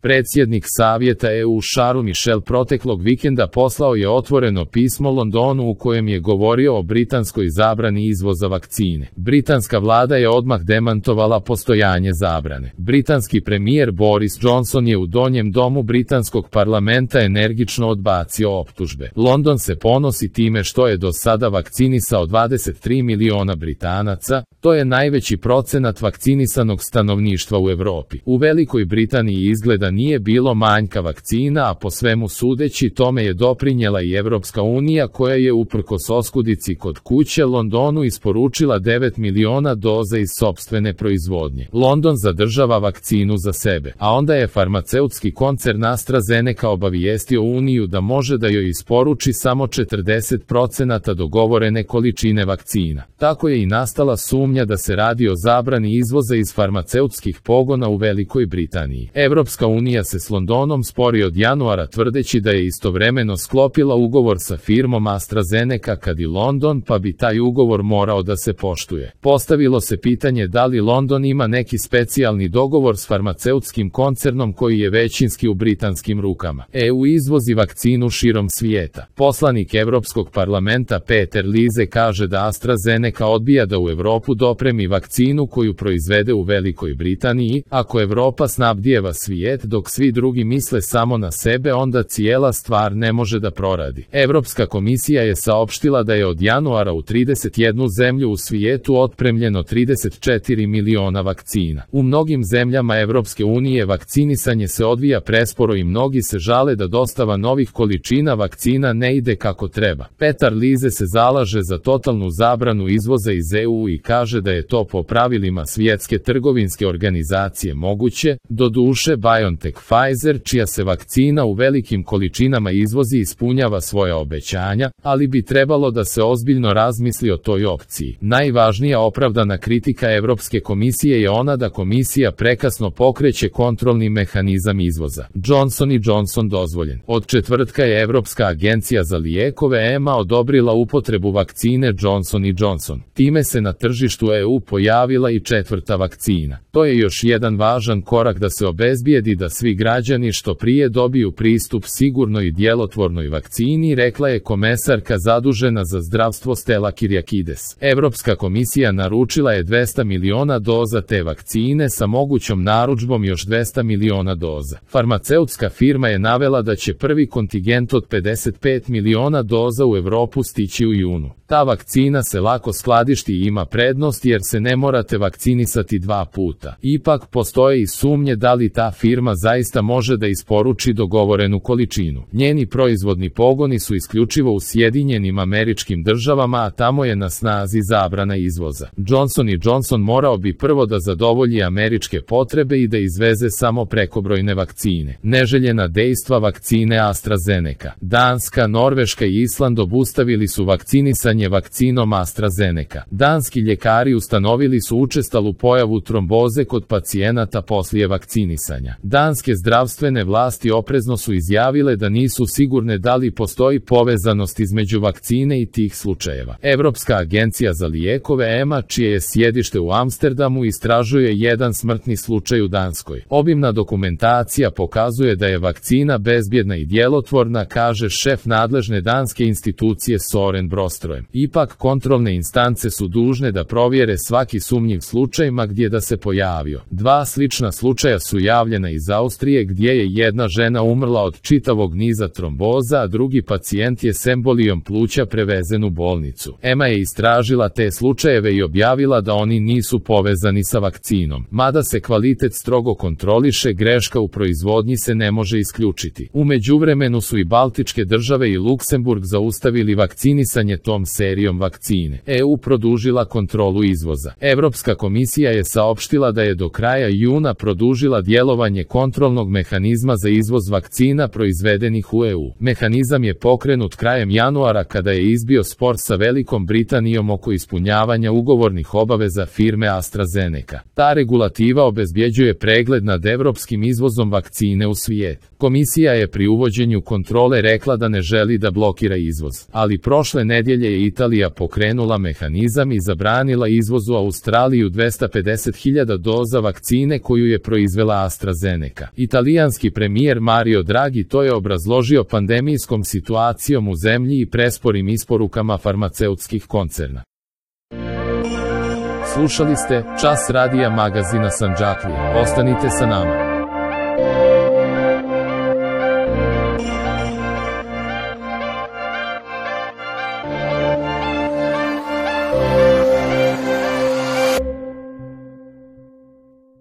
Predsjednik Savjeta EU Charles Michel proteklog vikenda poslao je otvoreno pismo Londonu u kojem je govorio o britanskoj zabrani izvoza vakcine. Britanska vlada je odmah demantovala postojanje zabrane. Britanski premijer Boris Johnson je u donjem domu britanskog parlamenta energično odbacio optužbe. London se ponosi time što je do sada vakcinisao 23 miliona Britanaca, to je najveći procenat vakcinisanog stanovništva u Europi. U Velikoj Britaniji izgleda nije bilo manjka vakcina, a po svemu sudeći tome je doprinjela i Evropska unija koja je uprkos oskudici kod kuće Londonu isporučila 9 miliona doza iz sopstvene proizvodnje. London zadržava vakcinu za sebe, a onda je farmaceutski koncern AstraZeneca obavijestio Uniju da može da joj isporuči samo 40% dogovorene količine vakcina. Tako je i nastala sumnja da se radi o zabrani izvoza iz farmaceutskih pogona u Velikoj Britaniji. Evropska unija se s Londonom spori od januara tvrdeći da je istovremeno sklopila ugovor sa firmom AstraZeneca kad i London, pa bi taj ugovor morao da se poštuje. Postavilo se pitanje da li London ima neki specijalni dogovor s farmaceutskim koncernom koji je većinski u britanskim rukama. EU izvozi vakcinu širom svijeta. Poslanik Evropskog parlamenta Peter Liese kaže da AstraZeneca odbija da u Evropu dopremi vakcinu koju proizvede u Velikoj Britaniji. Ako Evropa snabdijeva svijet dok svi drugi misle samo na sebe, onda cijela stvar ne može da proradi. Evropska komisija je saopštila da je od januara u 31 zemlju u svijetu otpremljeno 34 miliona vakcina. U mnogim zemljama Evropske unije vakcinisanje se odvija presporo i mnogi se žale da dostava novih količina vakcina ne ide kako treba. Peter Liese se zalaže za totalnu zabranu izvoza iz EU i kaže da je to po pravilima Svjetske trgovinske organizacije moguće. Doduše, BioNTech Pfizer, čija se vakcina u velikim količinama izvozi, ispunjava svoja obećanja, ali bi trebalo da se ozbiljno razmisli o toj opciji. Najvažnija opravdana kritika Evropske komisije je ona da komisija prekasno pokreće kontrolni mehanizam izvoza. Johnson & Johnson dozvoljen. Od četvrtka je Evropska agencija za lijekove EMA odobrila upotrebu vakcine Johnson & Johnson. Time se na tržištu EU pojavila i četvrta vakcina. To je još jedan važan korak da se obezbijedi da svi građani što prije dobiju pristup sigurnoj i djelotvornoj vakcini, rekla je komesarka zadužena za zdravstvo Stella Kyriakides. Evropska komisija naručila je 200 miliona doza te vakcine sa mogućom narudžbom još 200 miliona doza. Farmaceutska firma je navela da će prvi kontingent od 55 miliona doza u Europu stići u junu. Ta vakcina se lako skladišti i ima prednost jer se ne morate vakcinisati dva puta. Ipak postoje i sumnje da li ta firma zaista može da isporuči dogovorenu količinu. Njeni proizvodni pogoni su isključivo u Sjedinjenim Američkim Državama, a tamo je na snazi zabrana izvoza. Johnson & Johnson morao bi prvo da zadovolji američke potrebe i da izveze samo prekobrojne vakcine. Neželjena dejstva vakcine AstraZeneca. Danska, Norveška i Island obustavili su vakcinisanje vakcinom AstraZeneca. Danski ljekari ustanovili su učestalu pojavu tromboze kod pacijenata poslije vakcinisanja. Danske zdravstvene vlasti oprezno su izjavile da nisu sigurne da li postoji povezanost između vakcine i tih slučajeva. Evropska agencija za lijekove EMA, čije je sjedište u Amsterdamu, istražuje jedan smrtni slučaj u Danskoj. Obimna dokumentacija pokazuje da je vakcina bezbjedna i djelotvorna, kaže šef nadležne danske institucije Soren Broström. Ipak kontrolne instance su dužne da provjere svaki sumnjiv slučaj ma gdje da se pojavio. Dva slična slučaja su javljena iz Austrije gdje je jedna žena umrla od čitavog niza tromboza, a drugi pacijent je s embolijom pluća prevezen u bolnicu. EMA je istražila te slučajeve i objavila da oni nisu povezani sa vakcinom. Mada se kvalitet strogo kontroliše, greška u proizvodnji se ne može isključiti. U međuvremenu su i Baltičke države i Luksemburg zaustavili vakcinisanje tom serijom vakcine. EU produžila kontrolu izvoza. Evropska komisija je saopštila da je do kraja juna produžila djelovanje kontrolnog mehanizma za izvoz vakcina proizvedenih u EU. Mehanizam je pokrenut krajem januara kada je izbio spor sa Velikom Britanijom oko ispunjavanja ugovornih obaveza firme AstraZeneca. Ta regulativa obezbjeđuje pregled nad evropskim izvozom vakcine u svijet. Komisija je pri uvođenju kontrole rekla da ne želi da blokira izvoz, ali prošle nedjelje je Italija pokrenula mehanizam i zabranila izvoz u Australiju 250.000 doza vakcine koju je proizvela AstraZeneca. AstraZeneca. Italijanski premijer Mario Draghi to je obrazložio pandemijskom situacijom u zemlji i presporim isporukama farmaceutskih koncerna. Slušali ste Čas radija magazina Sandžaklija. Ostanite sa nama.